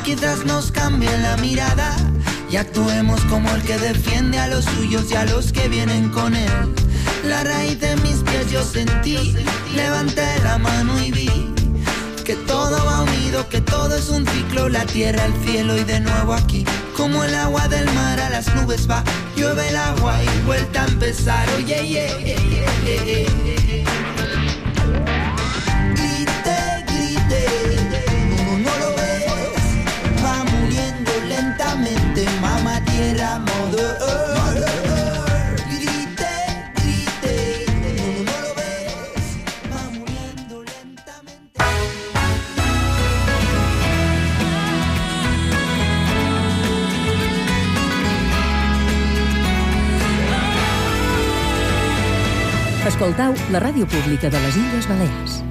quizás nos cambie la mirada y actuemos como el que defiende a los suyos y a los que vienen con él. La raíz de mis pies yo sentí, levanté la mano y vi que todo va unido, que todo es un ciclo, la tierra, el cielo y de nuevo aquí. Como el agua del mar a las nubes va, llueve el agua y vuelta a empezar. Oye, grite, no lo ves, va muriendo lentamente, mamá tierra, mother earth. Escoltau la ràdio pública de les Illes Balears.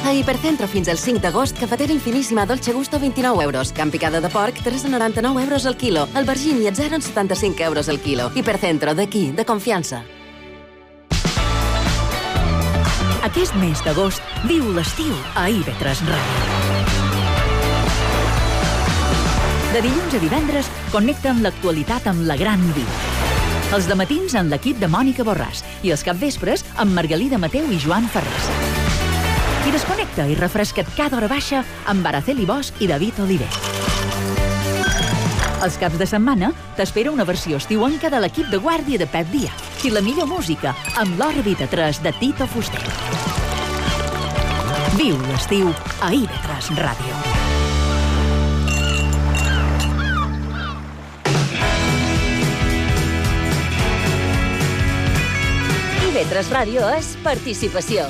A Hipercentro fins al 5 d'agost, cafetera infiníssima Dolce Gusto 29 euros. Camp picada de porc, 3,99 euros al quilo. Albergín i atzero en 75 euros al quilo. Hipercentro, d'aquí, de confiança. Aquest mes d'agost, viu l'estiu a IB3 Ràdio. De dilluns a divendres, connecta amb l'actualitat amb la Gran Vida. Els dematins amb l'equip de Mònica Borràs i els capvespres amb Margalida Mateu i Joan Ferrés. I desconnecta i refresca't cada hora baixa amb Araceli Bosch i David Oliver. Els caps de setmana t'espera una versió estiuenca de l'equip de guàrdia de Pep Díaz i la millor música amb l'Òrbita 3 de Tito Fuster. Viu l'estiu a IB3 Ràdio. IB3 Ràdio és participació.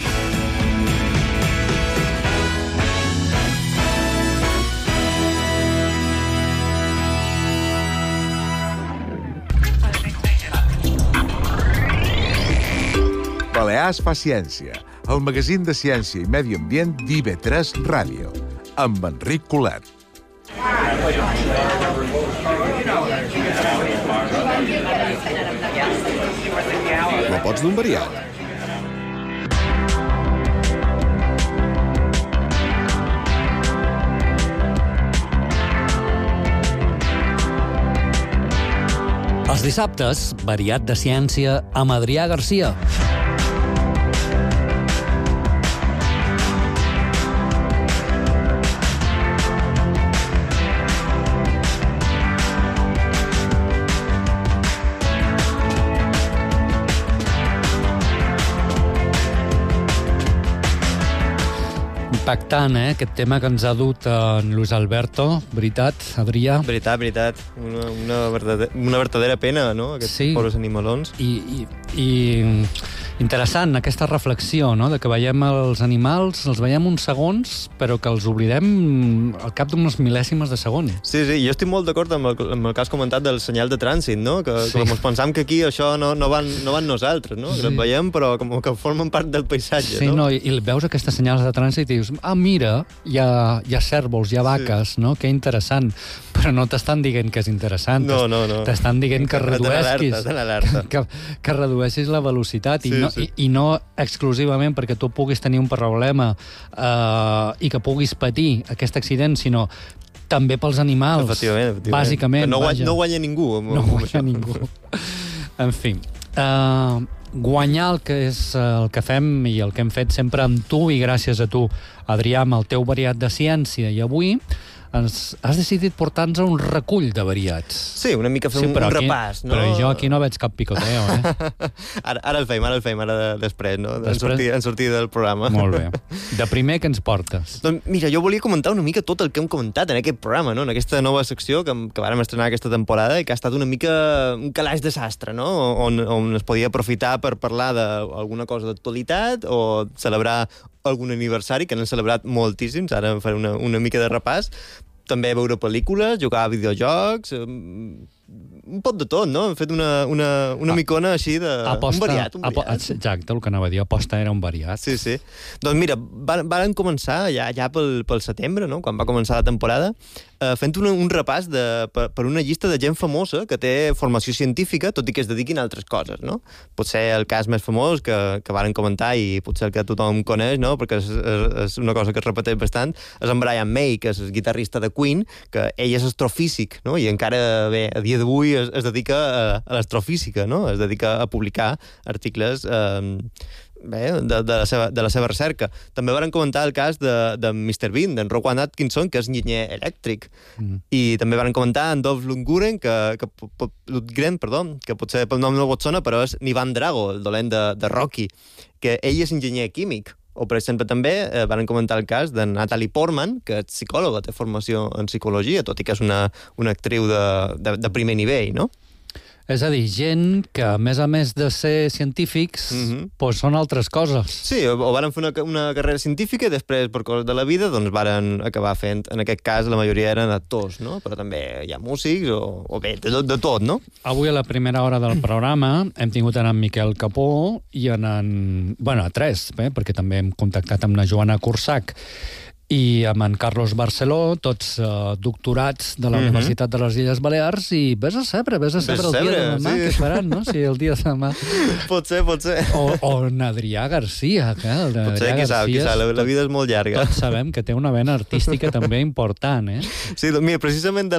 Balears fa ciència, el magazín de ciència i medi ambient d'IB3 Ràdio, amb Enric Colet. La pots d'un variant? Els dissabtes, variat de ciència amb Adrià Garcia. Impactant, aquest tema que ens ha dut en Luis Alberto. Veritat, Adrià? Veritat. Una verdadera pena, no?, aquests pobres animalons. I interessant, aquesta reflexió, no?, de que veiem els animals, els veiem uns segons, però que els oblidem al cap d'unes mil·lèsimes de segon. Sí, jo estic molt d'acord amb el que has comentat del senyal de trànsit, no?, que com pensam que aquí això no van nosaltres, no?, que els veiem, però com que formen part del paisatge, no? Sí, no, i veus aquestes senyals de trànsit i dius, mira, hi ha cèrvols, hi ha vaques, no?, que interessant. Però no t'estan dient que és interessant. No. T'estan dient que redueixis que redueixis la velocitat i no exclusivament perquè tu puguis tenir un problema i que puguis patir aquest accident, sinó també pels animals. Efectivament. Bàsicament. No guanya ningú. No guanya ningú. En fi, guanyar el que és el que fem i el que hem fet sempre amb tu i gràcies a tu, Adrià, amb el teu variat de ciència. I avui has decidit portar-nos a un recull de variats. Sí, una mica fer un repàs, no? Però jo aquí no veig cap picoteo, Ara el fem, després, no? En sortir del programa. Molt bé. De primer, què ens portes? Doncs mira, jo volia comentar una mica tot el que hem comentat en aquest programa, no? En aquesta nova secció que vàrem estrenar aquesta temporada i que ha estat una mica un calaix de sastre, no? On es podia aprofitar per parlar d'alguna cosa d'actualitat o celebrar algun aniversari, que n'han celebrat moltíssims, ara faré una mica de repàs, també veure pel·lícules, jugar a videojocs, un pot de tot, no? Hem fet una micona així de... un variat. Exacte, el que anava a dir, aposta era un variat. Sí. Doncs mira, varen començar ja pel setembre, no? Quan va començar la temporada, fent un repàs per una llista de gent famosa que té formació científica, tot i que es dediquin a altres coses, no? Potser el cas més famós que varen comentar i potser el que tothom coneix, no? Perquè és una cosa que es repeteix bastant, és en Brian May, que és el guitarrista de Queen, que ell és astrofísic, no? I encara, bé, a dia d'avui es dedica a l'astrofísica, no? Es dedica a publicar articles de la seva recerca. També van comentar el cas de Mr. Bean, d'en Rowan Atkinson, que és enginyer elèctric. I també van comentar en Dolph Lundgren, que potser pel nom no vos sona, però és Ivan Drago, el dolent de Rocky, que ell és enginyer químic. O, per exemple, també van comentar el cas de Natalie Portman, que és psicòloga, té formació en psicologia, tot i que és una actriu de primer nivell, no? És a dir, gent que, a més de ser científics, doncs són altres coses. Sí, o van fer una carrera científica i després, per coses de la vida, doncs van acabar fent, en aquest cas, la majoria eren actors, no? Però també hi ha músics o bé, de tot, no? Avui, a la primera hora del programa, hem tingut en Miquel Capó i a tres, perquè també hem contactat amb la Joana Cursac i amb en Carlos Barceló, tots doctorats de la Universitat de les Illes Balears, i ves a saber el dia de demà, que faran, no? Si el dia de demà... Potser. O en Adrià Garcia, que potser, qui sap, la vida és molt llarga. Tots sabem que té una vena artística també important, Sí, doncs mira, precisament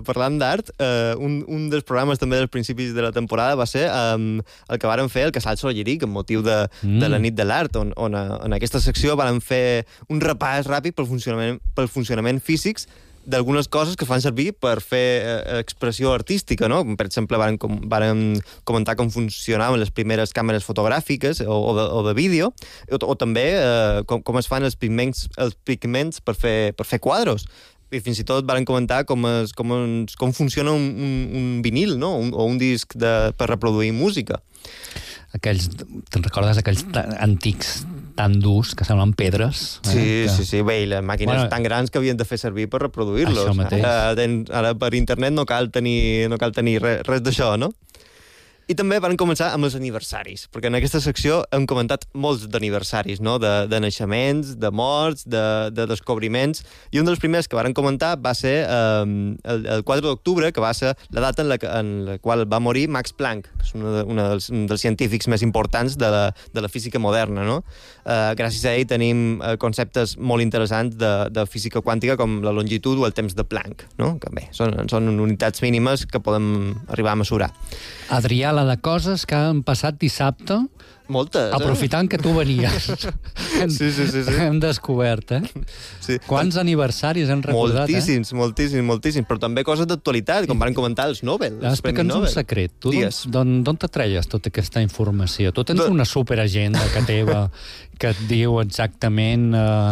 parlant d'art, un dels programes també dels principis de la temporada va ser el que varen fer el Casal Solleric, amb motiu de la nit de l'art, on en aquesta secció varen fer un repàs ràpid pel funcionament físics d'algunes coses que fan servir per fer expressió artística, no? Per exemple, varen comentar com funcionaven les primeres càmeres fotogràfiques o de vídeo, o també com es fan els pigments per fer quadros. I fins i tot varen comentar com funciona un vinil, no? O un disc per reproduir música. Te'n recordes aquells antics tan durs que semblen pedres? Sí. Bé, i les màquines tan grans que havien de fer servir per reproduir-los. Això mateix. Ara per internet no cal tenir res d'això, no? I també van començar amb els aniversaris, perquè en aquesta secció hem comentat molts d'aniversaris, no? De naixements, de morts, de descobriments, i un dels primers que van comentar va ser el 4 d'octubre, que va ser la data en la qual va morir Max Planck, que és un dels científics més importants de la física moderna, no? Gràcies a ell tenim conceptes molt interessants de física quàntica, com la longitud o el temps de Planck, no? Que bé, són unitats mínimes que podem arribar a mesurar. Adrià, la de coses que han passat dissabte, moltes, aprofitant que tu venies. Sí. Hem descobert, Sí. Quants aniversaris hem recordat, moltíssims, però també coses d'actualitat, com van comentar els Nobel. Explica'ns un secret. Tu d'on te treies tota aquesta informació? Tu tens una superagenda que teva que et diu exactament...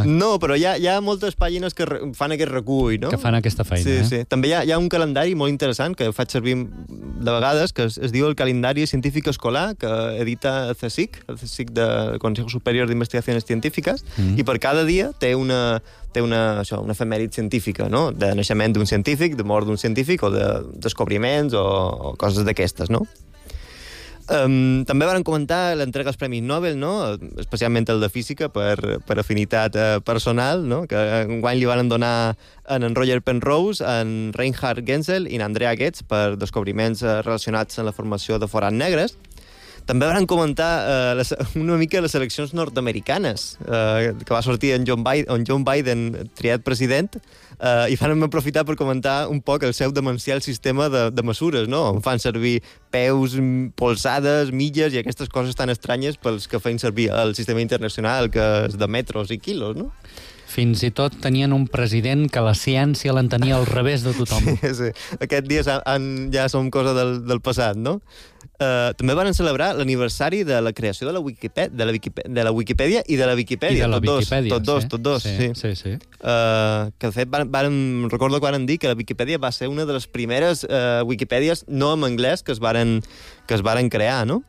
No, però hi ha moltes pàgines que fan aquest recull, no? Que fan aquesta feina, Sí. També hi ha un calendari molt interessant que faig servir de vegades, que es diu el Calendari Científic Escolar, que edita el CSIC del Consejo Superior d'Investigacions Científiques, i per cada dia té una efemèrit científica, no? De naixement d'un científic, de mort d'un científic, o de descobriments, o coses d'aquestes, no? També van comentar l'entrega als Premis Nobel, no? Especialment el de Física, per afinitat personal, no? Que enguany li van donar en Roger Penrose, en Reinhard Genzel i en Andrea Ghez per descobriments relacionats amb la formació de forats negres. També van comentar una mica les eleccions nord-americanes, que va sortir en John Biden triat president, i van aprofitar per comentar un poc el seu demencial sistema de mesures, no? On fan servir peus, polsades, milles i aquestes coses tan estranyes pels que feien servir el sistema internacional, que és de metros i quilos, no? Fins i tot tenien un president que la ciència l'entenia al revés de tothom. Sí. Aquests dies ja som cosa del passat, no? També van celebrar l'aniversari de la creació de la Wikipedia i de la Viquipèdia. I de la Viquipèdia, tots dos. Sí. Que de fet recordo que van dir que la Viquipèdia va ser una de les primeres Wikipèdies no en anglès que es varen crear, no?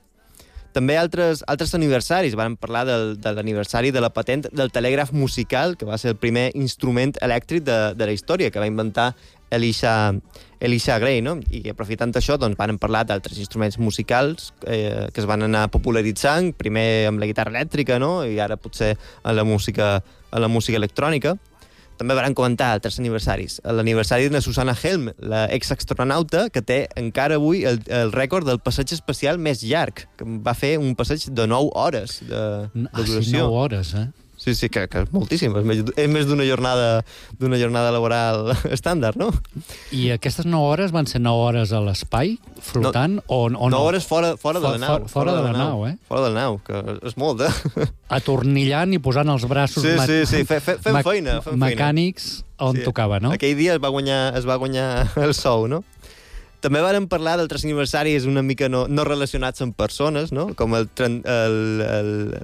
També altres aniversaris. Vam parlar de l'aniversari de la patent del telègraf musical, que va ser el primer instrument elèctric de la història, que va inventar Elisha Gray, no? I aprofitant això, doncs, van parlar d'altres instruments musicals que es van anar popularitzant, primer amb la guitarra elèctrica, no? I ara potser a la música electrònica. També van comentar altres aniversaris. L'aniversari de Susanna Helm, la exastronauta, que té encara avui el rècord del passeig espacial més llarg, que va fer un passeig de 9 hores de duració. Sí, 9 hores, eh? Sí, que és moltíssim. És més d'una jornada laboral estàndard, no? I aquestes 9 hores van ser 9 hores a l'espai, flotant, o no? 9 hores fora de la nau. Fora de la nau, eh? Fora de la nau, que és molt, eh? Atornillant i posant els braços fent feina. Mecànics on tocava, no? Aquell dia es va guanyar el sou, no? També vàrem parlar d'altres aniversaris una mica no relacionats amb persones, no? Com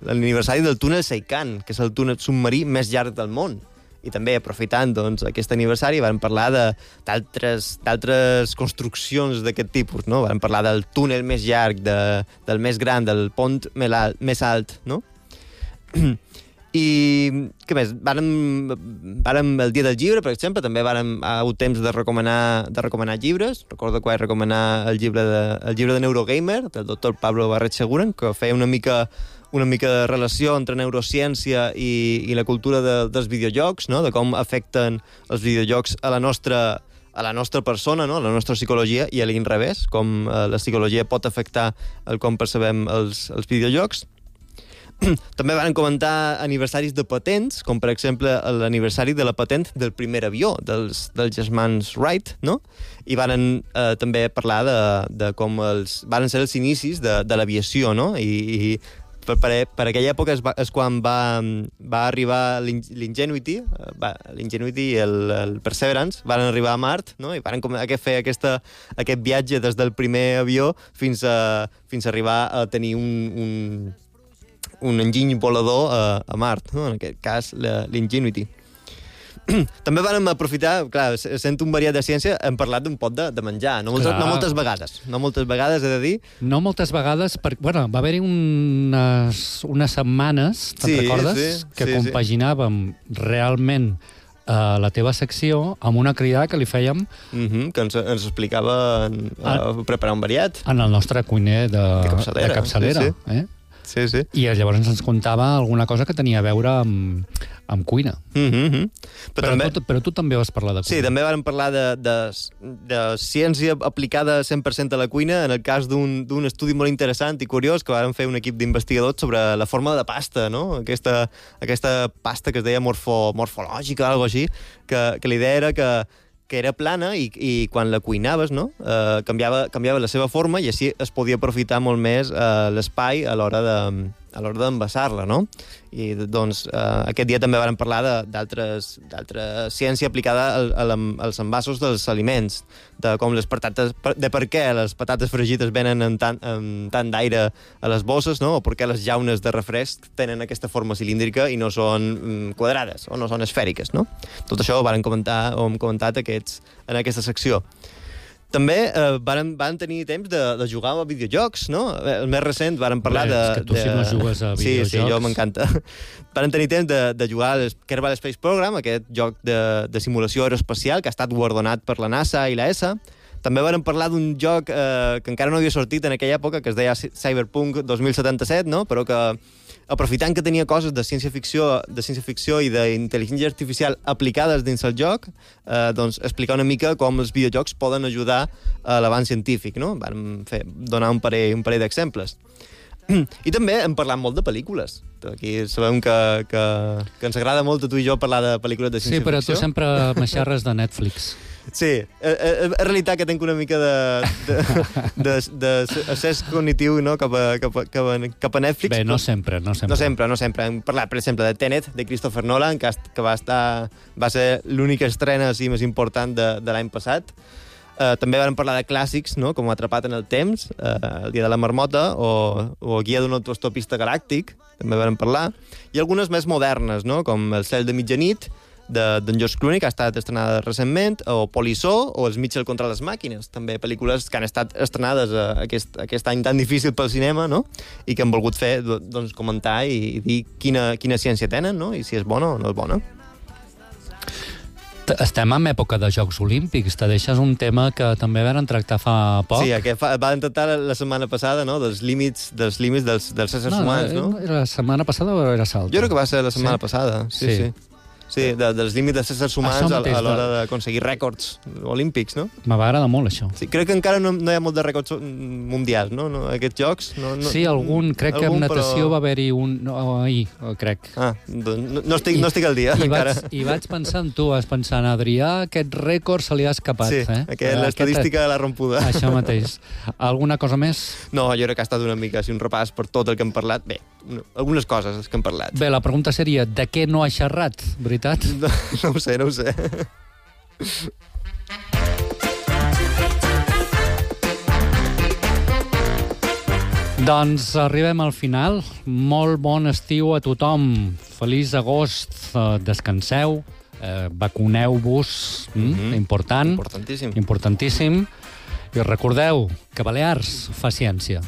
l'aniversari del túnel Seikan, que és el túnel submarí més llarg del món. I també, aprofitant doncs, aquest aniversari, vam parlar d'altres construccions d'aquest tipus, no? Vam parlar del túnel més llarg, del més gran, del pont més alt, no? I què més? Vàrem el dia del llibre, per exemple, també vàrem hagut temps de recomanar llibres. Recordo que vaig recomanar el llibre de Neurogamer, del doctor Pablo Barret-Seguren, que feia una mica de relació entre neurociència i la cultura dels videojocs, no? De com afecten els videojocs a la nostra persona, no? A la nostra psicologia, i a l'inrevés, com la psicologia pot afectar el com percebem els videojocs. També van comentar aniversaris de patents, com per exemple l'aniversari de la patent del primer avió, dels germans Wright, no? I van també parlar de com van ser els inicis de l'aviació, no? I per aquella època és quan va arribar l'Ingenuity i el Perseverance, van arribar a Mart, no? I van fer aquest viatge des del primer avió fins a arribar a tenir un enginy volador a Mart, no? En aquest cas l'Ingenuity. També vam aprofitar, clar, sent un variat de ciència, hem parlat d'un pot de menjar, no moltes vegades, he de dir. No moltes vegades, va haver-hi unes setmanes, te'n recordes? Que compaginàvem realment la teva secció amb una cridada que li fèiem... Que ens explicava preparar un variat. En el nostre cuiner de capçalera. Sí. I llavors ens contava alguna cosa que tenia a veure amb cuina. Però tu també vas parlar de cuina. Sí, també vam parlar de ciència aplicada 100% a la cuina, en el cas d'un estudi molt interessant i curiós que vam fer un equip d'investigadors sobre la forma de la pasta, no? Aquesta pasta que es deia morfològica o alguna cosa així, que la idea era que era plana i quan la cuinaves, no? Canviava la seva forma i així es podia aprofitar molt més l'espai a l'hora d'envasar-la, no? I doncs aquest dia també vam parlar d'altra ciència aplicada als envasos dels aliments, de com de per què les patates fregides venen amb tant d'aire a les bosses, no? O per què les llaunes de refresc tenen aquesta forma cilíndrica i no són quadrades o no són esfèriques, no? Tot això ho hem comentat en aquesta secció. També van tenir temps de jugar a videojocs, no? El més recent van parlar de... És que tu si no jugues a videojocs... Sí, jo m'encanta. Van tenir temps de jugar al Kerbal Space Program, aquest joc de simulació aeroespacial que ha estat guardonat per la NASA i la ESA. També van parlar d'un joc que encara no havia sortit en aquella època, que es deia Cyberpunk 2077, no? Però que, aprofitant que tenia coses de ciència-ficció i d'intel·ligència artificial aplicades dins el joc, doncs explicar una mica com els videojocs poden ajudar a l'avanç científic, no? Vam donar un parell d'exemples. I també hem parlat molt de pel·lícules. Aquí sabem que ens agrada molt a tu i jo parlar de pel·lícules de ciència-ficció. Sí, però tu sempre m'eixarres de Netflix. Sí, és realitat que tinc una mica d'accés cognitiu, no? cap a Netflix. Bé, no sempre. No sempre. Hem parlat, per exemple, de Tenet, de Christopher Nolan, que va ser l'única estrena més important de l'any passat. També vam parlar de clàssics, no? Com Atrapat en el temps, El dia de la marmota, o Guia d'un autostopista galàctic, també vam parlar. I algunes més modernes, no? Com El cel de mitjanit, d'en George Clooney, que ha estat estrenada recentment, o Polissó, o Els Mitchell contra les màquines, també pel·lícules que han estat estrenades aquest any tan difícil pel cinema, no? I que han volgut fer, doncs, comentar i dir quina ciència tenen, no? I si és bona o no és bona. Estem en època de Jocs Olímpics. Te deixes un tema que també vam tractar fa poc. Sí, que vam tractar la setmana passada, no? dels límits dels éssers humans, no? La setmana passada o era l'altra? Jo crec que va ser la setmana passada, sí. Sí, dels límits dels éssers humans a l'hora d'aconseguir rècords olímpics, no? Me va agradar molt, això. Sí, crec que encara no hi ha molt de rècords mundials, no? Aquests jocs. Sí, crec que en natació va haver-hi un... ahir, crec. No estic al dia, encara. I vaig pensar en tu, vas pensar en Adrià, aquest rècord se li ha escapat. Sí, l'estadística de la rompuda. Això mateix. Alguna cosa més? No, jo crec que ha estat una mica un repàs per tot el que hem parlat. Bé, algunes coses que hem parlat. Bé, la pregunta seria, de què no ha xerrat, veritat? No ho sé. Doncs arribem al final. Molt bon estiu a tothom. Feliç agost. Descanseu. Vacuneu-vos. Important. Importantíssim. I recordeu que Balears fa ciència.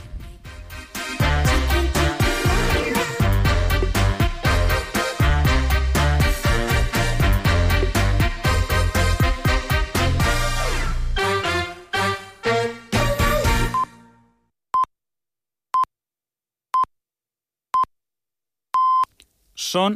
Són